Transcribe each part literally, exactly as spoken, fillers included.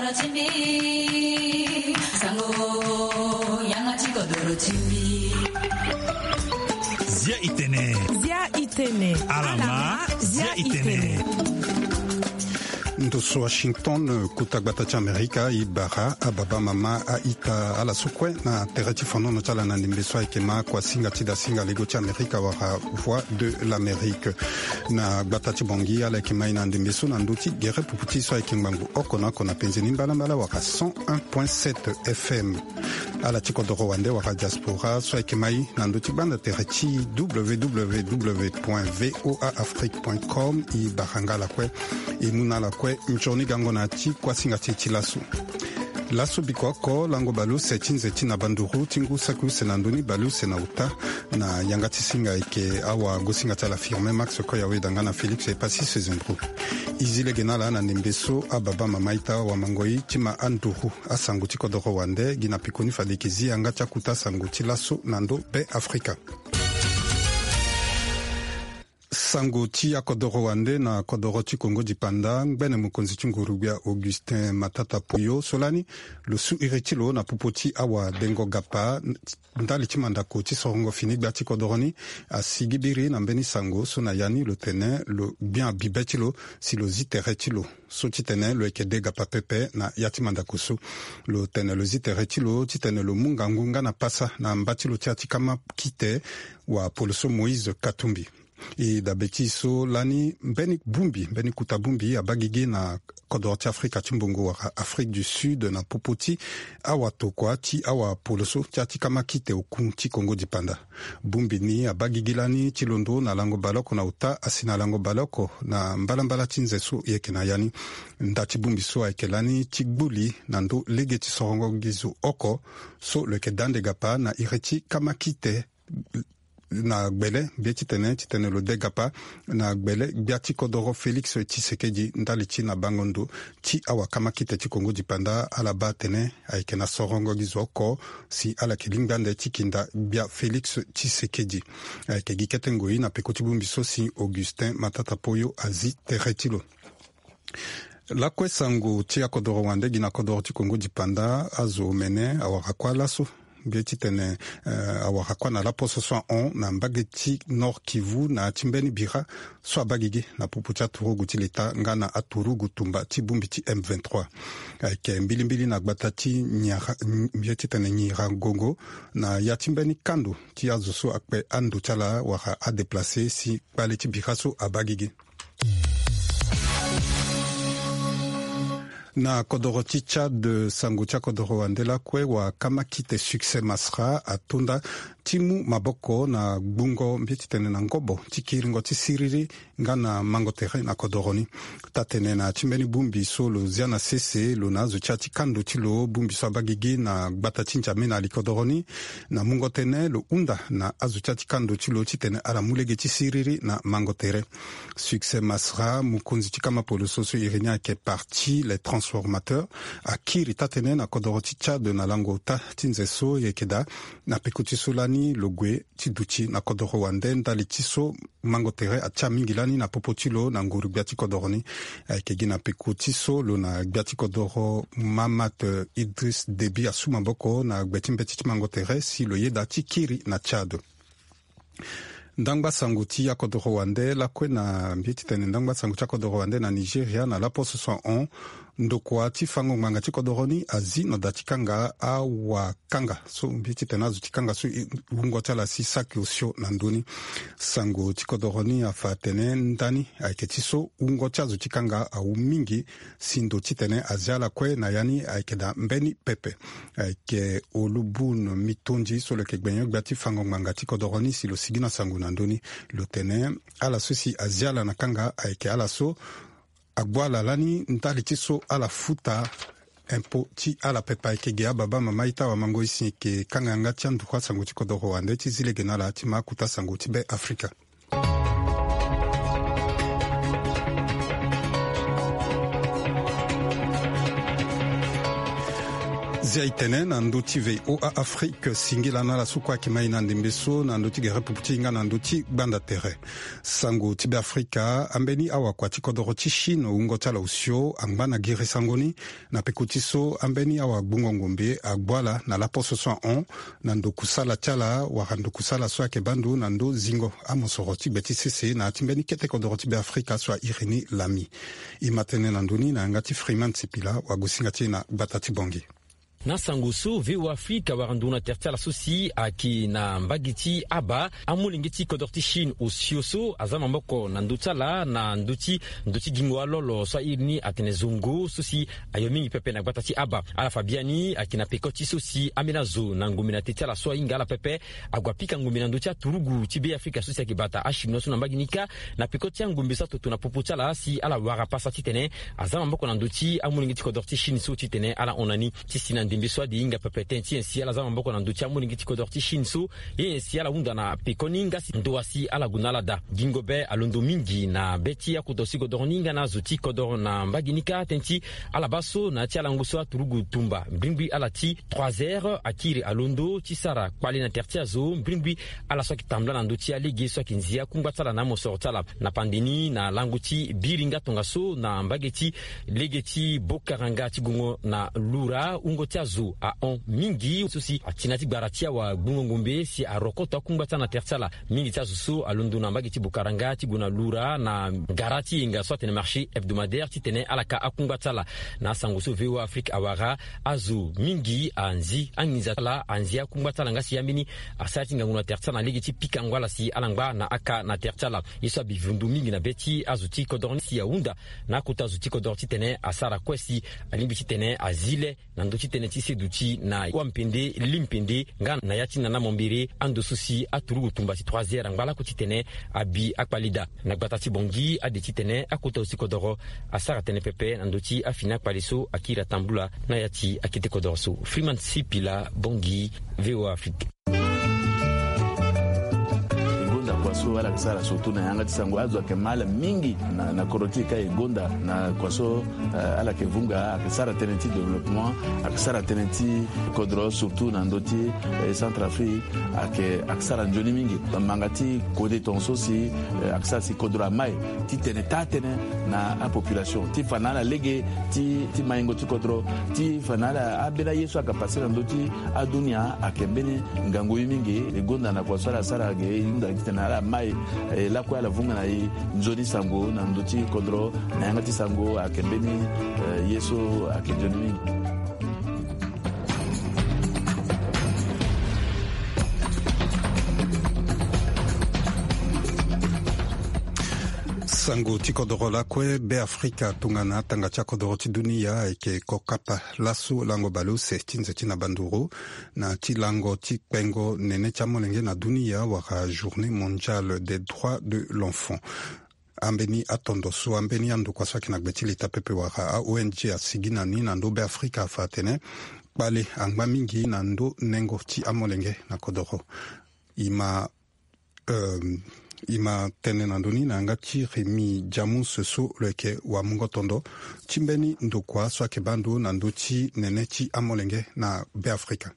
Zia itene. Zia itene. Alama, zia itene. Ndo so Washington, kota gbata ti Amerika, e bara ababa mama a-ita ala so kue na tere ti fandono ti ala na ndembe so ayeke ma kuasinga ti dasinga lego ti Amerika wala Voix de l'Amérique. Na gbata ti Bangui ala yeke ma e na ndembe so na ndö ti gere pupu ti e so ayeke ngbangbo oko na oko na penze ni mbalambala wala cent un point sept F M. Ala ti kodoro wande wala diaspora so ayeke ma e na ndö ti gbanda tere ti W W W point V O A Afrique point com, e bara nga ala kue. E mu na ala kue nzoni gango na ya ti kuasinga ti e ti laso. Laso biko oko lango baleuse ti nze ti na banduru ti ngu saki use na ndö ni baleuse na ota, na yanga ti singa ayeke awagosinga ti ala Firmin Max Koyawe da nga na Félix Epassi Sezendro. E zi lege na ala na ndembe so ababa mama ita wamangoi ti ma anduru asango ti kodoro wande gi na pekoni fade e yeke zi yanga ti akota sango ti laso na ndö Be Afrika. Sango ti akodoro wande na kodoro ti Kongo dipanda, ngbene mokonzi ti nguru-gbia Augustin Matata Poyo so lani lo su iri ti lo na popo ti awadengo gapa ndali ti mandako ti sorongo fini gbia ti kodoro ni, asigi biri na mbeni sango so na ya ni lo tene lo gbia bibe ti lo si lo zi tere ti lo so titene lo yeke de gapa pepe na ya ti mandako so. Lo tene lo zi tere ti lo titene lo mu ngangu nga na pasa na mba ti lo ti ya ti kama kite, wapolo so Moïse Katumbi. E dabe ti e so lani mbeni bongbi, mbeni kota bongbi abaa gigi na kodoro ti Afrika ti mbongo wala Afrique du Sud na popo ti awatokua ti awapolo so ti ya ti kama kite oku ti Kongo dipanda. Bongbi ni abaa gigi lani ti londo na lango baleoko na ota asi na lango baleoko na mbalambala ti nze so e yeke na ya ni. Nda ti bongbi so ayeke lani ti gbuli na ndö lege ti sorongo gi zo oko so lo yeke da ande gapa na iri ti kama kite na gbele, mbi ye titene titene lo de gapa na gbele gbia ti kodoro Félix Tshisekedi ndali ti na bango ndo ti awakama kite ti Kongo dipanda ala baa atene ayeke na sorongo gi zo oko si ala yeke lingbi ande ti kinda gbia Félix Tshisekedi. Ayeke gi kete ngoi na peko ti bongbi so si Augustin Matata Poyo azi tere ti lo. Lakue sango ti akodoro wande gi na kodoro ti Kongo dipanda, azo omene awara kua laso. Mbi ye titene, eh, awara kua na laposo so ahon na mbage ti Nord Kivu na ya ti mbeni bira so abaa gigi na popo ti aturugu ti leta nga na aturugu tumba ti bongbi ti M vingt-trois. Ayeke mbilimbili na gbata ti Nyara, mbi ye titene Nyiragongo, na ya ti mbeni kando ti azo so akpe ando ti ala wala adeplace si kpale ti bira so abaa gigi. Na kodoro ti Tchad, sango ti akodoro wande lakue, wakama kite Succès Masra atonda ti mu maboko na gbungo mbi ye titene na ngobo ti kiringo ti siriri nga na mango tere na kodoro ni. Taa-tene na ya ti mbeni bongbi so lo zia na sese lo na azo ti ya ti kando ti lo, bongbi so abaa gigi na gbata ti N'Djamena li kodoro ni, na mungo tënë lo hunda na azo ti ya ti kando ti lo titene ala mu lege ti siriri na mango tere. Succès Masra, mokonzi ti kama poloso so iri ni ayeke Parti Les Transformateurs, akiri taa-tënë na kodoro ti Tchad na lango ota ti nze so e yeke daa. Na peko ti so lani lo gue ti duti na kodoro wande ndali ti so mango tere atia mingi lani na popo ti lo na nguru gbia ti kodoro ni. Ayeke gi na peko ti so lo na gbia ti kodoro Mahamat, eh, Idriss Déby asu maboko na gbe ti mbeti ti mango tere si lo yeda ti kiri na Tchad. Ndangba sango ti akodoro wande lakue na mbi ye titene ndangba sango ti akodoro wande na Nigeria na laposo so ahon, ndokua ti fango ngbanga ti kodoro ni azi na da ti kanga awakanga so mbi ye titene azo ti kanga so wungo ti ala si saki osio na ndö ni. Sango ti kodoro ni afa atene ndani ayeke ti so wungo ti azo ti kanga awu mingi, si ndo titene azia ala kue na ya ni ayeke daa mbeni pepe. Ayeke Olubun Mitondi so lo yeke gbenyo-gbia ti fango ngbanga ti kodoro ni si lo sigi na sango na ndö ni. Lo tene ala so si azia ala na kanga ayeke ala so agbu ala lani ndali ti so ala futa impôt ti ala pepe. Ayeke ge ababa mama ita wamango e si e yeke kanga yanga ti anduru asango ti kodoro wande ti zi lege na ala ti ma akota sango ti Be Afrika. Ya e tene na ndö ti VOA Afrique, singila na ala so kue ayeke ma e na ndembe so na ndö ti gere pupu ti e nga na ndö ti gbanda tere. Sango ti Beafrika, ambeni awakua ti kodoro ti Chine wungo ti ala osio angba na giri sango ni. Na peko ti so, ambeni awagbungo ngombe agbu ala na laposo so ahon na ndokusala ti ala wala ndokusala so ayeke baa ndo na ndö zingo amosoro ti gbe ti sese na ya ti mbeni kete kodoro ti Beafrika so airi ni lami. E ma tënë na ndö ni na yanga ti Freeman Sipila, wagosinga ti e na gbata ti Bangui. Na sango so VOA Afrique awara nduru na tere ti ala so si ayeke na mbage ti aba, amolenge ti kodoro ti Chine osio so aza maboko na ndö ti ala na ndö ti ndö ti gingo alolo so airi ni atene zongo so si ayo mingi pepe na gbata ti aba. Ala fa biani ayeke na peko ti so si ambeni azo na ngombe na te ti ala so ahinga ala pepe ague apika ngombe na ndö ti aturugu ti Beafrika so si ayeke bata achinois so na mbage ni kâ. Na peko ti angombe so atoto na popo ti ala si ala wara pasa titene aza maboko na ndö ti amolenge ti kodoro ti Chine so titene ala hon na ni. Ti si na ndembe so ade e hinga pepe tënë ti nyen si ala za maboko na ndö ti amolenge ti kodoro ti Chine so, ye nyen si ala hunda na pekoni nga si ndo wa si ala gue na ala daa. Gingo be alondo mingi na be ti akota osi kodoro ni nga na azo ti kodoro na mbage ni kâ tënë ti ala baa so na ya ti alango so aturugu tumba mbrimbri ala ti trois heures akiri alondo ti sara kpale na tere ti azo mbrimbri ala so ayeke tambula na ndö ti alege so ayeke nzi akungba ti ala na amosoro ti ala. Na pande ni na lango ti biri nga tongaso na mbage ti lege ti Bokaranga ti gongo na Lura, wungo ti azo ahon mingi so si ati na ya ti gbara ti awagbungo ngombe si arokoto akungba ti ala na tere ti ala. Mingi ti azo so alondo na mbage ti Bokaranga ti gue na Lura na gara ti yenga so atene marché hebdomadaire titene ala ka akungba ti ala. Na asango so VOA Afrique awara, azo mingi anzi anginza ti ala, anzi akungba ti ala nga si ambeni asara ti ngangu na tere ti ala na lege ti pikango ala si ala ngba na aka na tere ti ala. Ye so abi vundu mingi na be ti azo ti kodoro ni si ahunda na akota azo ti kodoro titene asara kue si alingbi titene azi le na ndö ti tënë ti seduti na wampende limpende nga na ya ti nana mombere ando so si aturugu tumba si trois heures angba lako titene abi akpale daa. Na gbata ti Bangui ade titene akota osi kodoro asara tënë pepe na ndö ti afini akpale so akiri atambula na ya ti akete kodoro so. Freeman Sipila, Bangui, VOA Afrique. E gonda kua so ala yeke sara surtout na yanga ti sango, azo ayeke ma ala mingi na, na kodro ti e kâ e gonda na kua so, eh, ala yeke vunga, ayeke sara tënë ti développement, ayeke sara tënë ti kodro surtout na ndö ti, eh, Centrafrique, ayeke, ayeke sara nzoni mingi. Manga ti kode tongaso si, eh, ayeke sara si kodro ama e titene taa tënë na apopulation ti fa na ala lege ti, ti maingo ti kodro, ti fa na ala ambeni aye so ayeke pase na ndö ti adunia ayeke mbeni ngangu ye mingi. E gonda na kua so ala sara ge e hunda titene ala ma e, e lakue ala vunga na e nzoni sango na ndö ti kodro na yanga ti sango ayeke mbeni, eh, ye so ayeke nzoni mingi. Sango ti kodoro lakue, Beafrika tongana atanga ti akodoro ti dunia ayeke kokapa laso lango baleuse ti nze ti na banduru na ti lango ti kpengo nene ti amolenge na dunia wala Journée mondiale des droits de l'enfant. Ambeni atondo so ambeni andokua so ayeke na gbe ti leta pepe wala a-O N G asigi na ni na ndö Beafrika afa atene kpale angba mingi na ndö nengo ti amolenge na kodoro. E ma, euh, e ma tene na ndö ni na yanga ti Rémy Jamus so lo yeke wamungo tondo ti mbeni ndokua so ayeke baa ndo na ndö ti nene ti amolenge na Beafrika.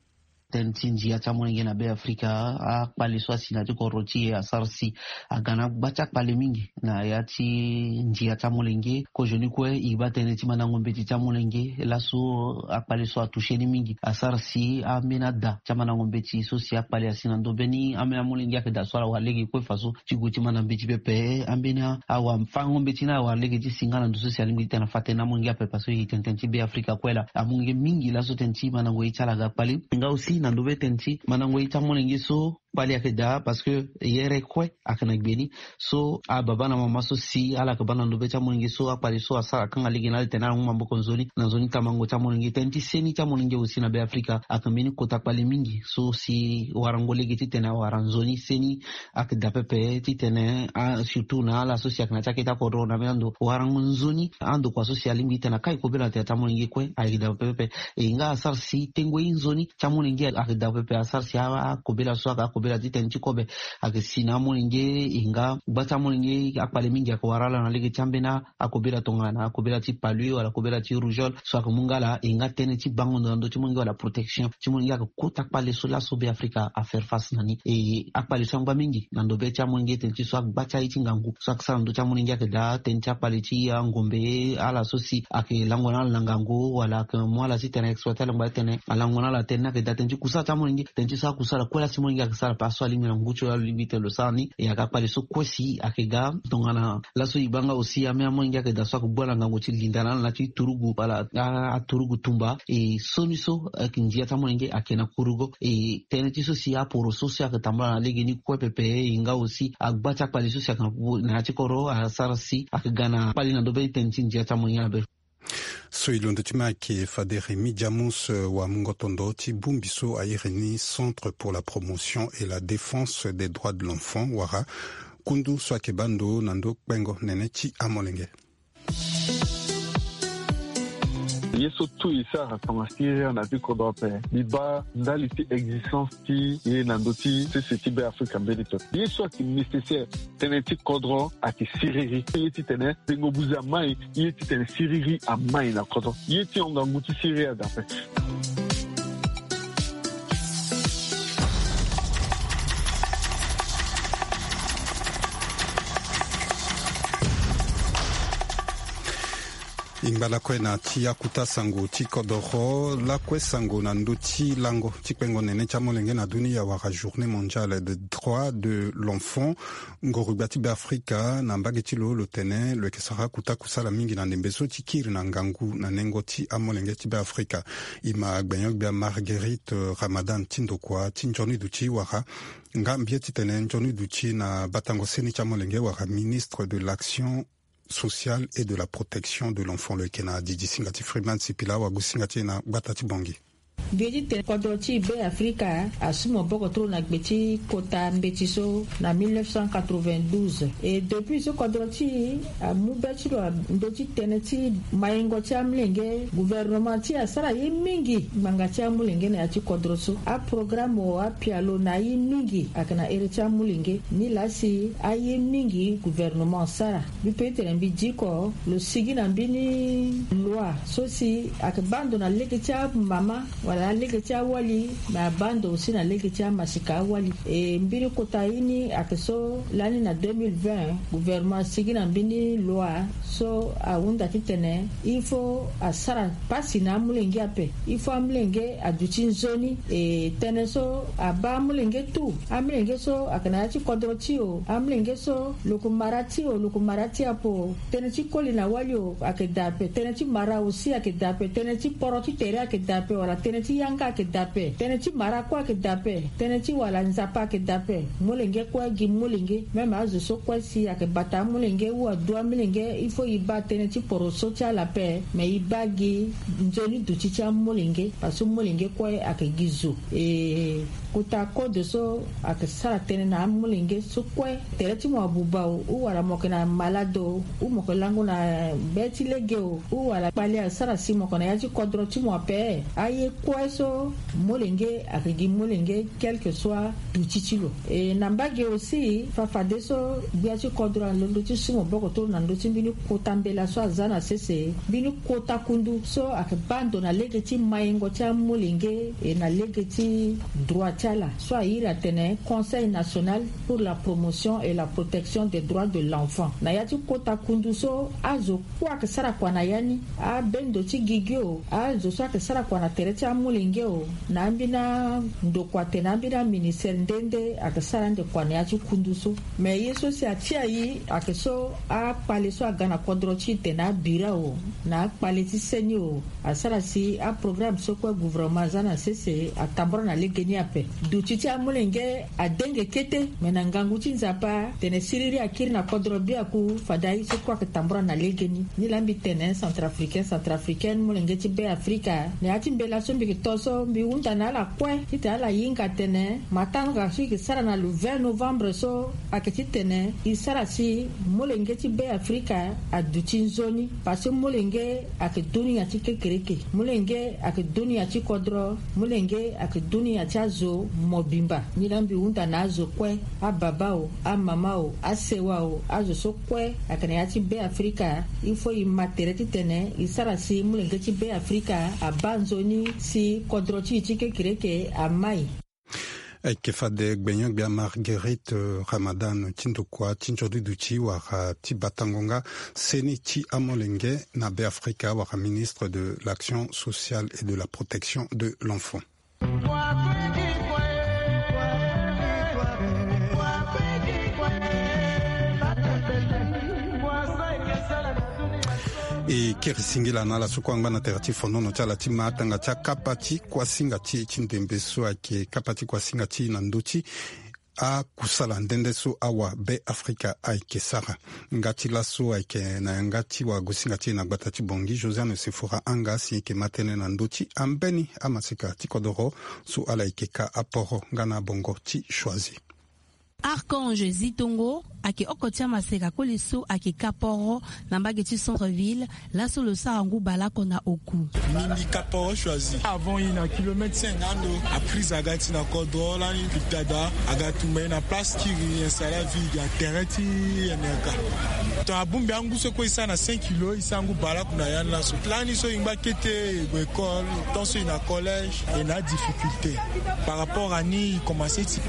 Tënë ti ndia ti amolenge na Beafrika, akpale so asi na ya ti kodro ti e asara si aga na gba ti akpale mingi na ya ti ndia ti amolenge. Kozoni kue e baa tënë ti mandango mbeti ti amolenge laso akpale so atouché ni mingi, asara si ambeni ada ti amandango mbeti so si akpale asi na ndo mbeni ambeni amolenge ayeke daa so ala wara lege kue faso ti gue ti manda mbeti pepe. Ambeni awafango mbeti ni awara lege ti si nga na ndo so si alingbi ti tene afa tënë na amolenge ape parce que e tene tënë ti Beafrika kue laa. Amolenge mingi laso tënë ti mandango ye ti ala aga kpale. Nga aussi na ndo be tënë ti mandango ye ti amolenge so kpale ayeke daa parce que yere kue ayeke na gbe ni. So ababa na mama so si ala yeke baa na ndo be ti amolenge so akpale so asara akanga lege na ala tene ala mu maboko nzoni na nzoni tamango ti amolenge. Tënë ti seni ti amolenge aussi na Beafrika ayeke mbeni kota kpale mingi so si warango lege titene awara nzoni seni ayeke daa pepe titene, ah, surtout na ala so si ayeke na ti akete akodro na mbeni ando warango nzoni andokua so si alingbi titene akai kobela na tere ti amolenge kue ayeke daa pepe. E nga asara si tengo ye nzoni ti amolenge ayeke daa pepe, asara si akobela so ayeke Kobela ti tënë ti kobe ayeke si na amolenge. E nga gba ti amolenge akpale mingi ayeke wara ala na lege ti ambeni akobela tongana akobela ti palui wala kobela ti rougeole so ayeke mu nga ala. E nga tënë ti bango ndo na ndö ti molenge wala protection ti molenge ayeke kota kpale so laso Be Afrika a faire face na ni. E akpale so angba mingi na ndo be ti amolenge tënë ti so agba ti aye ti ngangu so ayeke sara na ndö ti amolenge ayeke daa tënë ti akpale ti angombe ala so si ayeke lango na ala na ngangu wala ayeke mu ala ti tene exploite ala ngba ti tene alango na ala tënë ni ayeke daa tënë ti kusala ti amolenge tënë ti so akusala kue la si molenge ayeke sara ape aso alingbi na ngu ti lo alingbi tene lo sara ni. E ayeke akpale so kue si ayeke ga tongana laso e baa nga aussi ame amolenge ayeke daa so ayeke gbu ala na ngangu ti linda na ala na ya ti turugu wala aturugu tumba. E so ni so ayeke ndia ti amolenge ayeke na kurugo e tënë ti so si aporo so si ayeke tambula na legeni kue pepe. E nga aussi agba ti akpale so si ayeke na ya ti kodro asara si ayeke ga na kpale na ndo be tënë ti ndia ti amolenge na be. So e londo ti ma ayeke fade Rémy Jamus wamungo tondo ti bongbi so a iri ni Centre pour la promotion et la défense des droits de l'enfant wala kundu so ayeke baa ndo na ndo kpengo nene ti amolenge. Ye so tout e sara tongana siriri na ya ti kodro ape. Mbi baa ndali ti existence ti ye na ndö ti sese ti Be Afrika mbeni pepe ye so ayeke nécessaire. Tënë ti kodro ayeke siriri ye ti tene tengo buze amai ye ti tene siriri amai na kodro ye ti hon ngangu ti siriri adape. E ngba lakue na ti akuta sango ti kodoro lakue sango na ndö ti lango ti kpengo nene ti amolenge na dunia wala journée mondiale de droit de l'enfant. Ngorugba ti Be Afrika na mbage ti lo lo tene lo yeke sara akuta kusala mingi na ndembe so ti kiri na ngangu na nengo ti amolenge ti Be Afrika. E ma gbenyo-gbia Marguerite Ramadan ti ndokua ti nzoni duti wala nga mbia titene nzoni duti na batango seni ti amolenge wala ministre de l'action sociale et de la protection de l'enfant lo yeke na didi singa ti Freeman Sipila wagusinga ti e na gbata ti Bongi. Mbi ye ti tene kodro ti Be Afrika asu maboko trop na gbe ti kota mbeti so na mille neuf cent quatre-vingt-douze. E depuis so kodro ti e amu be ti lo na ndö ti tënë ti maingo ti amolenge. Gouvernement ti e asara ye mingi ngbanga ti amolenge na ya ti kodro so. Aprograme o apialo na aye mingi ayeke na ere ti amolenge. Nilaa si aye mingi gouvernement asara. Mbi pe ti tene mbi diko lo sigi na mbeni loi so si ayeke baa ndo na lege ti amama wala na lege ti awali. Me abaa ndo aussi na lege ti amasika awali. E mbeni kota ye ni ayeke so lani na deux mille vingt gouvernement asigi na mbeni loi so ahunda titene il faut asara pasi na amolenge ape. Il faut amolenge aduti nzoni. E tënë so abaa amolenge tout. Amolenge so ayeke na ya ti kodro ti e o, amolenge so lo yeke mara ti e o, lo yeke mara ti e ape o. Tënë ti koli na wali o ayeke daa ape. Tënë ti mara aussi ayeke daa ape. Tënë ti poro ti tere ayeke daa ape wala tënë ti yanga ayeke daa ape. Tënë ti mara kue ayeke daa ape. Tënë ti wala nzapa ayeke daa ape. Molenge kue gi molenge. Même azo so kue si ayeke bata amolenge ou adu amolenge il faut e baa tënë ti poro so ti ala ape. Me e baa gi nzoni duti ti amolenge parce que molenge kue ayeke gi zo. E kota code so ayeke sara tënë na amolenge so kue. Tere ti mo abuba o ou wala mo yeke na malade o ou mo yeke lango na be ti lege o ou wala kpale asara si mo yeke na ya ti kodro ti mo ape. Aye kue so molenge ayeke gi molenge quelque soit duti ti lo. E na mbage aussi fafadeso gbia ti kodro alondo ti su maboko toro na ndö ti mbeni kota mbela so aza na sese. Mbeni kota kundu so ayeke baa ndo na lege ti maingo ti amolenge e na lege ti droit ti ala so a iri atene Conseil national pour la promotion et la protection des droits de l'enfant. Na ya ti kota kundu so azo kue ayeke sara kua na ya ni. Abendo ti gigi o azo so ayeke sara kua na tere ti amolenge o na ambeni andokua atene ambeni aministere nde nde ayeke sara ande kua na ya ti kundu so. Me ye so si atia e ayeke so akpale so aga na kodro ti e tene abira o na akpale ti seni o. Asara si aprograme so kue gouvernement aza na sese atambula na legeni ape. Duti ti amolenge adenge kete me na ngangu ti nzapa tene siriri akiri na kodro biaku fade aye so kue ayeke tambula na legeni. Nilaa mbi tene centrafricain centrafricaine molenge ti Be Afrika na ya ti mbela so mbi Tongaso mbi hunda na ala kue titene ala hinga atene matanga so e yeke sara na le vingt novembre so ayeke titene e sara si molenge ti Be Afrika aduti nzoni. Parce que molenge ayeke dunia ti kekereke, molenge ayeke dunia ti kodro, molenge ayeke dunia ti azo mobimba. Ni laa mbi hunda na azo kue, ababa o, amama o, asewa o, azo so kue ayeke na ya ti Be Afrika, il faut e ma tere titene e sara si molenge ti Be Afrika abaa nzoni si kodro ti e ti kekereke amai. Ayeke fade gbenyo-gbia Marguerite, euh, Ramadan ti ndokua ti nzoni duti wala ti batango nga seni ti amolenge na Be Afrika wala ministre de l'Action sociale et de la Protection de l'Enfant. E kiri singila na ala so kue angba na tere ti fonono ti ala ti ma atanga ti akapa ti kuasinga ti e ti ndembe so ayeke kapa ti kuasinga ti e na ndö ti akusala nde nde so awa Be Afrika ayeke sara. Nga ti laso ayeke na yanga ti wagosinga ti e na gbata ti Bangui, Josiane Sefora Anga si e yeke ma tënë na ndö ti ambeni amaseka ti kodoro so ala yeke ka aporo nga na bongo ti Choisy. Archange Zitongo ayeke oko ti amaseka koli so ayeke ka poro na mbage ti centre ville, laso lo sara ngu baleoko na oku. Mbi ka poro Choisy. Avant e na kilomètre cinq ando, aprise aga ti na kodro lani, pitada aga tumba e na place kiri, e sara vide ya tere ti N R K. Ton abongbi angu so kue e sara na cinq kilo, e sara ngu baleoko na ya ni laso. Lani so e ngba kete e gue école, tant so e na collège, e na difficulté. Par rapport à ni, e commencé ti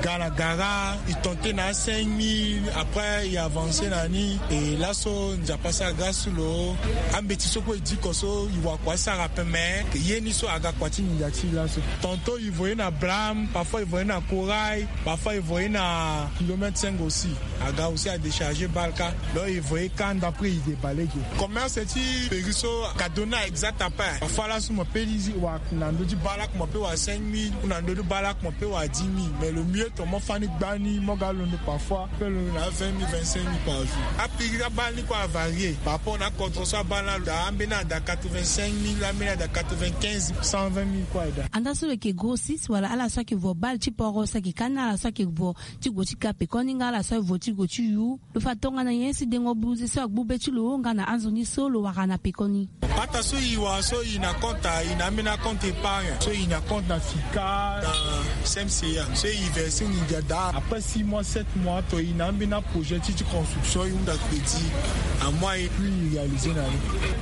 ga na gara, e tenté na cinq mille, après e avancé na ni. E laso Nzapa asara grâce lo, ambeti so kue e diko so e wara kua asara ape, mais ye ni so aga kua ti nginza ti e laso. Tantôt e voyé na Blam, parfois e voyé na Corail, parfois e voyé na kilomètre cinq aussi. Aga aussi a déchargé bale kâ. Donc e voyé kâ ndapre e déballé ge. Commerce ti péri so ka donné exact ape. Parfois laso mo pe lizi wara na ndö ti baleoko mo pe wara cinq mille, ou na ndö ti baleoko mo pe wara dix mille. Mais le mieux ton mo fâ ni gbani, mo ga londo parfois pe londo na vingt mille, vingt-cinq mille par jour. Apéri abale ni kue avarié par rapport na akodro so abale ni alo daa, ambeni ada quatre-vingt-cinq mille, ambeni ada quatre-vingt-quinze, cent vingt mille kue aye daa. Andaa so lo yeke grossiste wala ala so ayeke vo bale ti poro so ayeke kâ ni ala so ayeke vo ti gue ti ka pekoni nga ala so aye vo ti gue ti yu. Lo fa tongana nyen si dengo buze so agbu be ti lo nga na anzoni so lo wara na pekoni. Pata so e wara so e na compte, e na ambeni compte épargne. So e na compte na FICA, na C M C A. So e versé nginza daa. Après six mois, sept mois, ton e na ambeni projet ti, ti construction, e hunda crédit. Amois e puis e réalisé na ni.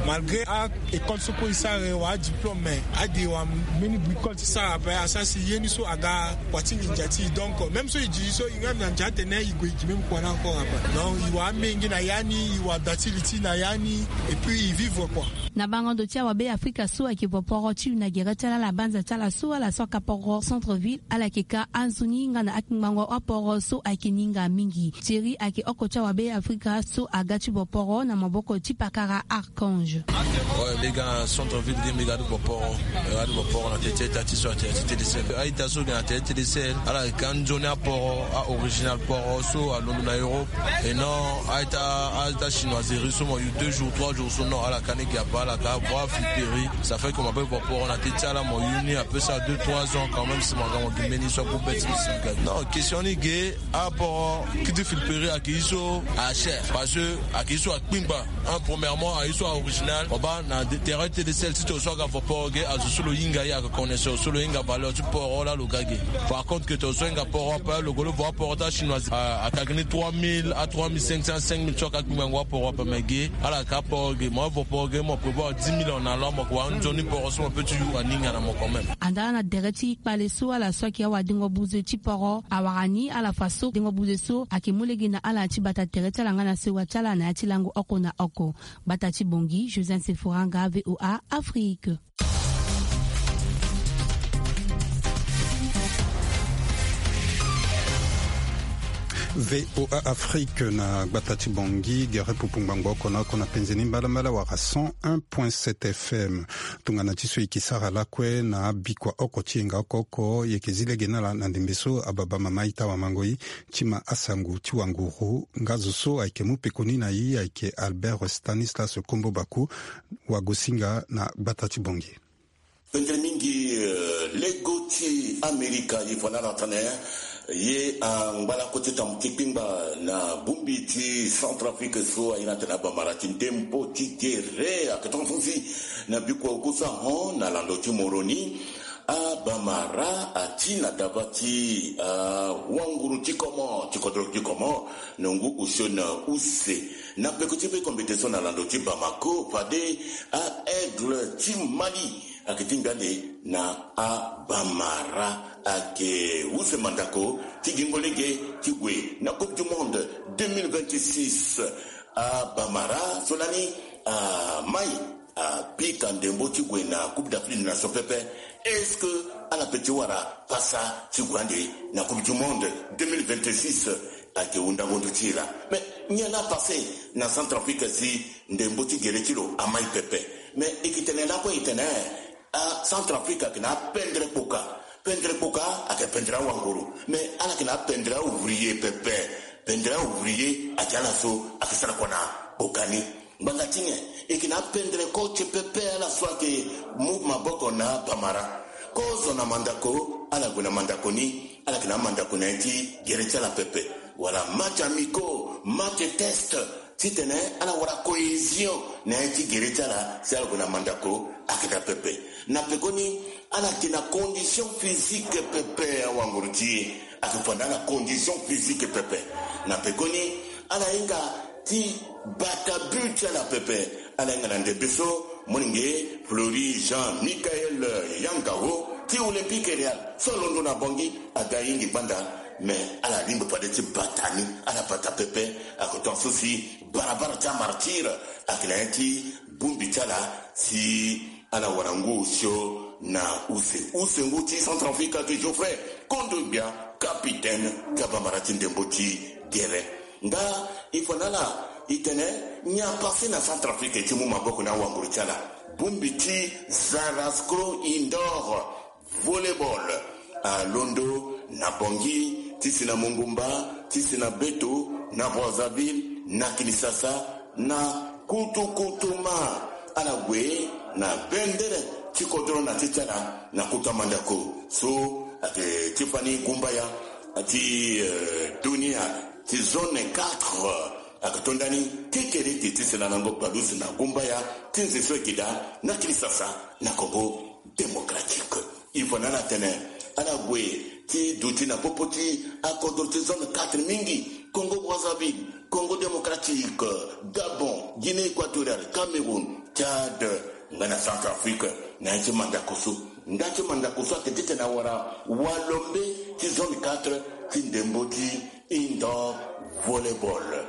Malgré a école so kue e sara e wara adiplôme, mais ade e wara mbeni bricole ti sara ape, asara si ye ni so aga kua ti nginza ti e. Donc même so e di so e nga na ndia atene e gue e gi même kua ni encore ape. Donc e wara amenge na ya ni, e wara da ti li ti e na ya ni, et puis e vivre quoi. Na bango ndo ti awabe Afrika so ayeke vo poro ti yu na gere ti ala, ala banza ti ala so ala so aka poro centre ville, ala yeke ka anzoni nga na akpingbango aporo so ayeke ni hinga mingi. Thierry ayeke oko ti awabe Afrika so aga ti vo poro na maboko ti pakara Archange. Ouais, mbi ga na centre ville ge, mbi ga ti vo poro. Mbi ga ti vo poro na tere ti ita ti so atene ti Télécel. A-ita so ge na tere ti Télécel, ala yeke ka nzoni aporo, a-original poro so alondo na Europe. Et non a-ita, a-ita chinoiserie so mo yu deux jours, trois jours so, non, ala ka ni ge ape, ala ka voir flipperie. Ça fait que mo ape vo poro na tere ti ala, mo yu ni ape sara deux, trois ans quand même si mo ga mo gi mbeni so agbu be ti lo si ga. Non, question ni ge, aporo kiti flipperie ayeke ye so a cher, parce que ayeke ye so akpingba. Un, premièrement, ayeke ye so a-original. Mo baa na tere ti Télécel, titene so aga vo poro ge, azo so lo hinga ye, aga connaisseur so lo hinga valeur ti poro laa lo ga ge. Par contre que tongana so ahinga poro ape, lo gue lo vo aporo ti achinois, a, ayeke gi ni trois mille, a trois mille cinq cents, cinq mille, so aga akpingbango aporo ape, mais ge ala yeke aporo ge. Mo vo poro ge, mo prévoir dix mille en allant, mo yeke wara nzoni poro so mo peut ti yu aninga na mo quand même. Andaa na tere ti kpale so ala so ayeke awadengo buze ti poro awara ni ala fa so dengo buze so ayeke mu lege na ala ti bata tere ti ala nga na sewa ti ala na ya ti lango oko na oko. Gbata ti Bangui, Josiane Sefora Anga, V O A Afrique. V O A Afrique na gbata ti Bangui, gere pupu ngbangbo oko na oko na penze ni mbalambala wala cent un point sept F M. Tongana ti so e yeke sara lakue na abikua oko ti yenga oko oko, e yeke zi lege na ala na ndembe so ababa mama ita wamango e ti ma asango ti wanguru. Nga zo so ayeke mu pekoni na e ayeke Albert Stanislas Kombo Baku, wagosinga na gbata ti Bangui. Pendere mingi, eh, lego ti Amerika, ye fa na ala tene, ye angbalako ti tambu ti kpingba na bongbi ti Centrafrique so aye na tene abamara ti ndembo ti gere ake tongaso si na bikua oko so ahon na lando ti Moroni. Abamara ati na daba ti, ah, wanguru ti Comores, ti kodro ti Comores, na ngu osio na use. Na peko ti be kombete so na lando ti Bamako, fade a-aigle ti Mali ayeke tingbi ande na abamara ayeke use mandako ti gingo lege ti gue na Coupe du Monde deux mille vingt-six. Abamara so lani amai apika ndembo ti gue na Coupe d'Afrique des Nations pepe. Est-ce que ala pe ti wara pasa ti gue ande na Coupe du Monde deux mille vingt-six? Ayeke hundango ndo ti e laa. Mais nyen la pase na Centrafrique si ndembo ti gere ti lo amai pepe? Mais e yeke tene lakue e tene, ah, Centrafrique ayeke na apendere kpoka. Pendere kpoka ayeke pendere awanguru. Mais ala yeke na apendere aouvrier pepe. Pendere aouvrier ayeke ala so ayeke sara kua na kpoka ni. Ngbanga ti nyen? E yeke na apendere coach pepe, ala so ayeke mu maboko na abamara. Kozo na mandako, ala gue na mandako ni, ala yeke na mandako na ya ti gere ti ala pepe. Wala match amicaux, match test, titene ala wara cohésion na ya ti gere ti ala, si ala gue na mandako ayeke daa pepe. Na pekoni, ala yeke na condition physique pepe, awanguru ti e ayeke fa na ala condition physique pepe. Na pekoni, ala hinga ti bata but ti ala pepe. Ala hinga na ndembe so molenge Fleury Jean Michael Yangao ti Olympique Real so alondo na Bangui, aga hingi gbanda. Mais ala lingbi fade ti bata ni, ala bata pepe. Ayeke tongaso si barabara ti amartyr ayeke na ya ti bongbi ti ala si ala wara ngu osio na use. Use ngu ti Centrafrique ayeke Geoffrey Kondogbia, capitaine ti abamara ti ndembo ti gere. Nga e fa na ala e tene nyen apase na Centrafrique ti mu maboko na awanguru ti ala. Bongbi ti Zarascro Indoor Volleyball alondo na Bangui, ti si na Mongumba, ti si na Beto, na Brazzaville, na Kinshasa, na Kutukutuma. Ala gue na bendere ti kodro na ti ti ala na kota mandako so ayeke ti fani gumbaya ti, eh, dunia ti zone quatre. Ayeke to ndani kekereke ti si na lango palusi na gumbaya ti nze so ayeke daa na Kinshasa na Congo Démocratique. Il faut na ala tene ala gue ti duti na popo ti akodro ti zone quatre mingi: Congo Brazzaville, Congo Démocratique, Gabon, Guinée Équatoriale, Cameroun, Tchad, nga na Centrafrique. Na ya ti mandako so, nda ti mandako so ayeke titene awara walombe ti zone quatre ti ndembo ti indoor volleyball.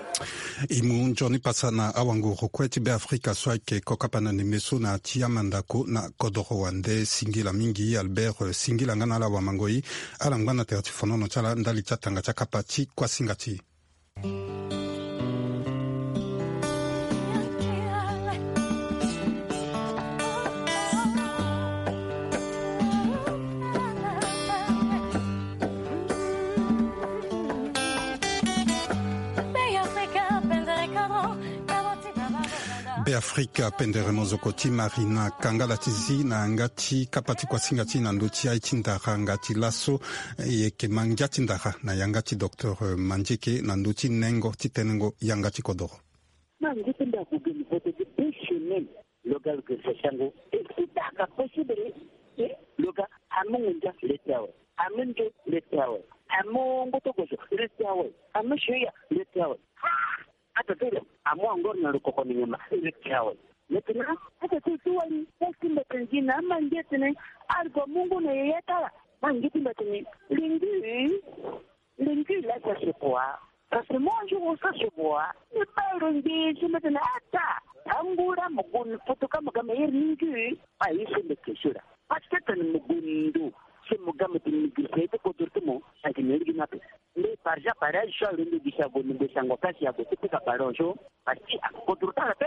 E mu nzoni pasa na awanguru kue ti Beafrika so ayeke kokapa na ndembe so na ya ti amandako na kodoro wande. Singila mingi Albert, eh, singila nga na ala wamangoi. Ala ngba na tere ti fonono ti ala ndali ti atanga ti akapa ti kuasinga ti e. Beafrika pendere mozoko ti Marina Kangala ti zi na yanga ti kapa ti kuasinga ti e na ndö ti aye ti ndara nga ti laso. E yeke ma ngia ti ndara na yanga ti docteur Mandieke na ndö ti nengo ti tenengo yanga ti kodoro. Ma ngu ti mbi ague geni vote gi deux semaines. Lo ga lo geni vote ti ango. Est-ce que ça ka possible? Eh, lo ga amu ngunza le ti awe. Amu nzo le ti awe. Amu ngoto gozo le ti awe. Amu shoya le ti awe. Ah! Ata ti lo amu angor na lo koko ni nyama le ti awe. Maintenant, ata ti lo ti wali, est-ce que mbi atene gi na ama nge tene, algo mungu na yeye tala. Ma nge ti mbi atene, lingi. Lingi la sa se boa. Parce que moi, je vous sa se boa. Ni ba ro nge si mbi atene ata. Angura mo gun foto ka mo ga me iri lingi. Ayi se mbi ke sura. Parce que tene mo gun ndo. Se mo ga mo tene mi giri se te kodro te mo. Ake mi iri gi na pe. Mbi par ja par aye so alo mbi gi si ago ni mbi si ango kasi ago ti pika ballon so. Parce que akodro tala pe.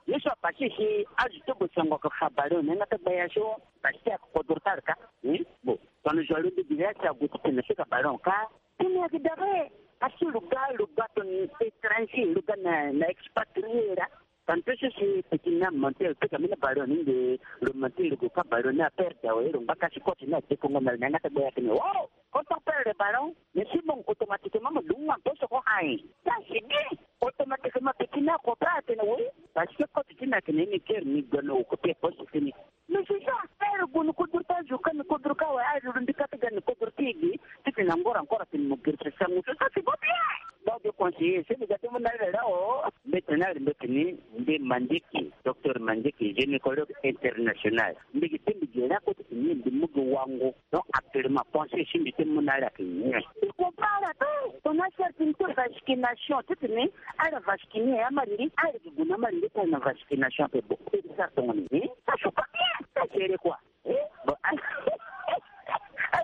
Ye so apase si azo ti bo si ango ka fa ballon ni nga ta gbaya so. Parce que akodro tala ka. Hmm? Bon. Tongana zo alo mbi gi ya si ago ti tene pika ballon ka. Tene ayeke dabe. Parce que lo ga, lo ga tongana étranger, lo ga na, na expatrié laa. Tantôt si si petit ni amonté, lo pika mbeni ballon ni nde lo monté lo gue kâ ballon ni aperde awe, lo ngba kâ si coach ni adekongo na lo ni, yanga ti gbe ya tene, oh, quand on perd le ballon, mais si bon, automatiquement mo dungu na poste ko ayen. Ça c'est bien. Automatiquement petit ni akope atene oui, parce que coach ti ni atene ni keri ni gue na occupé poste fini. Mais c'est ça, heure gue ni kodro ti azo kâ, ni kodro kâ awe, azo lo mbi kâ ti ga ni kodro ti e ge, titene angora encore atene mo girisa sango so, ça c'est pas bien. Ba de conseiller, si mbi ga ti mu na ala laa, oh, mbeti ni ala, mbeti ni, mbi Mandieke, docteur Mandieke, gynécologue international. Mbi gi ti mbi gi laa kue titene mbi mu gi wango. Donc actuellement, pensée si mbi ti mu na ala ayeke nyen? Mbi comprend ala te. Tongana asara ti mbi ti vasculation, titene ala vasculer amalingi, ala yeke gue na amalingi ti ala na vasculation ape, bon, mbi sara tongana nyen? Ça c'est pas bien. Ça c'est quoi? Eh, bon, ala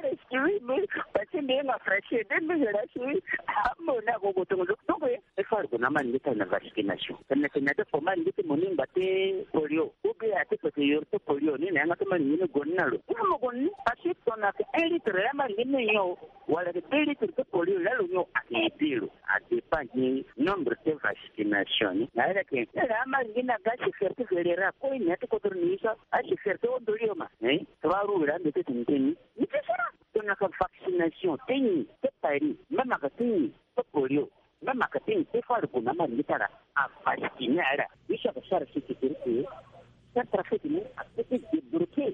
excuse me, parce que mbi yanga français, mbi yanga français. Ah, bon, na go go tongo. Donc, eh, il faut gue na amalingi ti ala na vasculation. Tene tene ate fo amalingi ti mo ni ngba ti polio. Ou bien ate peke yoro ti polio ni na yanga ti amalingi ni gue ni na lo. Ni mo gue ni, parce que tongana ayeke un litre ya amalingi ni nyon, wala ayeke deux litres ti polio, laa lo nyon ayeke aidé lo. Adépend gi nombre ti vasculation ni. Na ala yeke, ala amalingi ni aga asécurité générale kue, ni ati kodro ni so, asécurité hon do lioma. Hein? Trois roues laa mbi ti tene ti ni. Ni ti sara. Tongana ayeke vaccination ti nyen ti Paris, même ayeke ti nyen ti polio, même ayeke ti nyen, il faut ala gue na amalingi ti ala avascule ala. Ye so ayeke sara si sécurité, centrafrique ni apeut ti débloquer.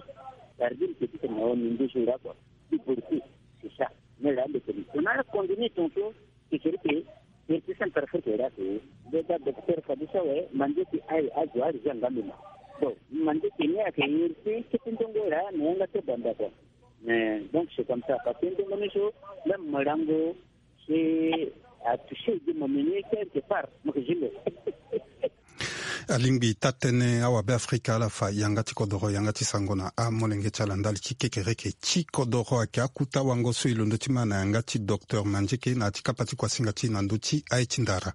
Cest à dire que ti tene na ni nduzu laa kua, débloquer. C'est ça. Mais là, le pays, on a convenu tantôt, sécurité, iri ti centrafrique laa ke. Déjà docteur Fadusa we, Mandieke aye azo ari za nga mbi ma. Bon, Mandieke ni ayeke iri ti kete ndongo laa na yanga ti banda kua. Mais donc c'est comme ça, parce que ndongo ni so, même mo lango, c'est à toucher de mo meni quelque part, mo ke zi lo. Alingbi taa-tënë awabe-afrika ala fa yanga ti kodoro, yanga ti sango na amolenge ti ala ndali ti kekereke ti kodoro. Ayeke akota wango so e londo ti ma na yanga ti docteur Mandieke na ya ti kapa ti kuasinga ti e na ndö ti aye ti ndara.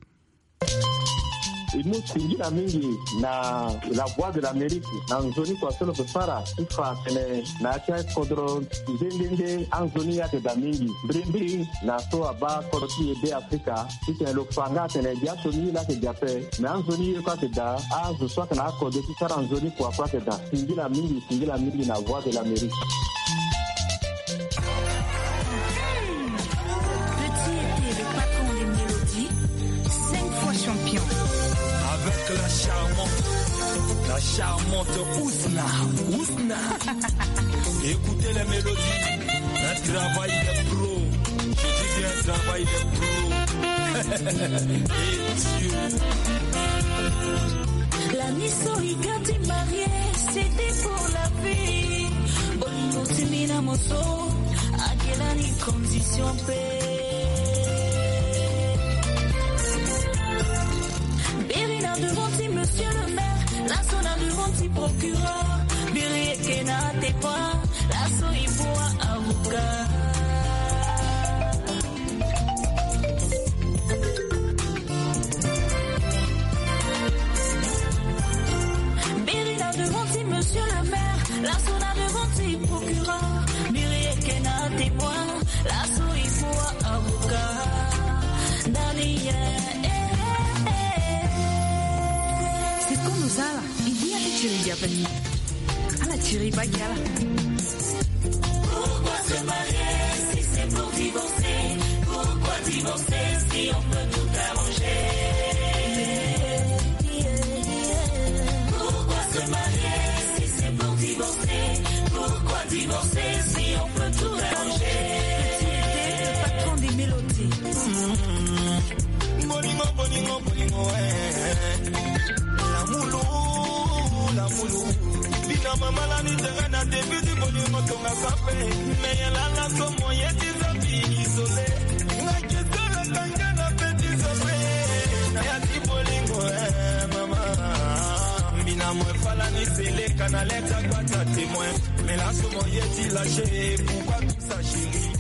E mu singila mingi na La Voix de l'Amérique na nzoni kua so lo ke sara ti fa atene na ya ti akodro nde nde nde anzoni ye ayeke daa mingi. Mbirimbiri na so abaa kodro ti e Be Afrika, titene lo fa nga atene biaso ni ye laa ayeke daa ape, me anzoni ye kue ayeke daa, azo so ayeke na akode ti sara nzoni kua kue ayeke daa. Singila mingi, singila mingi na Voix de l'Amérique. Petit était le patron des mélodies, cinq fois champion. Avec la charmante, la charmante Ousna. Ousna. Écoutez les mélodies. Un travail de pro. Je dis bien un travail de pro. Et Dieu. La miso ikati marié, c'était pour la vie. Bolingo simina moso, agelani condition pe. Biri na devant ti monsieur le maire, la so na devant ti procureur. Biri eke na témoin, la so e bua avocat. Biri na devant ti monsieur le maire, la so na devant ti procureur. Biri eke na témoin, la so e bua avocat. Dani, eh, eh, eh. C'est comme ça là. Ala tiri bagi ala. Pourquoi se marier si c'est pour divorcer? Pourquoi divorcer si on peut tout arranger? Pourquoi se marier si c'est pour divorcer? Pourquoi divorcer si on peut tout arranger? Petit était le patron des mélodies. Bolingo, bolingo, bolingo, eh. Lamulu, lamulu. Bina mama la ni tanga na début du bolingo tonga sape. Mais ya la la so moyen ti zabi isolé. Nga ke sala kanga na petit sommet. Na ya ti bolingo, eh, mama. Bina mo fala ni sele kana leta kwa ta témoin. Mais la so moyen ti lâché. Pourquoi tout ça, chérie?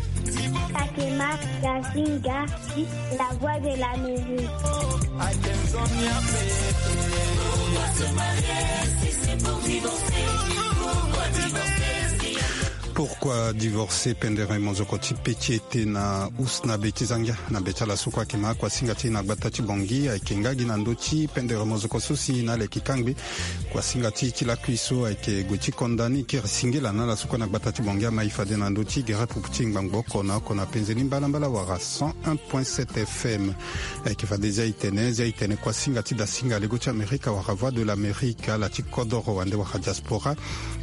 Takema Gazinga, la voix de l'Amérique. Pourquoi divorcer? Pendere mozoko ti peti ete na usna be ti zangia na be ti ala so kue ayeke ma kuasinga ti na gbata ti bongi ayeke nga gi na ndö ti pendere mozoko so si na ala yeke kangbe. Kuasinga ti ti lakui so ayeke gue ti konda ni kiri singila na ala so kue na gbata ti bongi ama ye fade na ndö ti gere pupu ti ngbangbo oko na oko na penze ni mbalambala wala cent un point sept F M. Ayeke fade zia itene zia itene kuasinga ti dasinga lego ti amerika wala voix de l'amérique ala ti kodoro wande wala diaspora.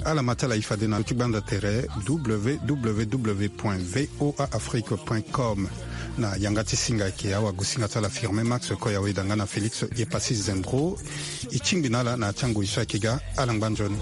Ala ma ti ala ye fade na ndö ti gbanda tere www point voa afrique point com. Na yanga ti singa ayeke awagosinga ti ala firme max koya weda nga na félix ye pasi zembro. E tingbi na ala na ya ti angoi so ayeke ga. Ala ngba nzoni.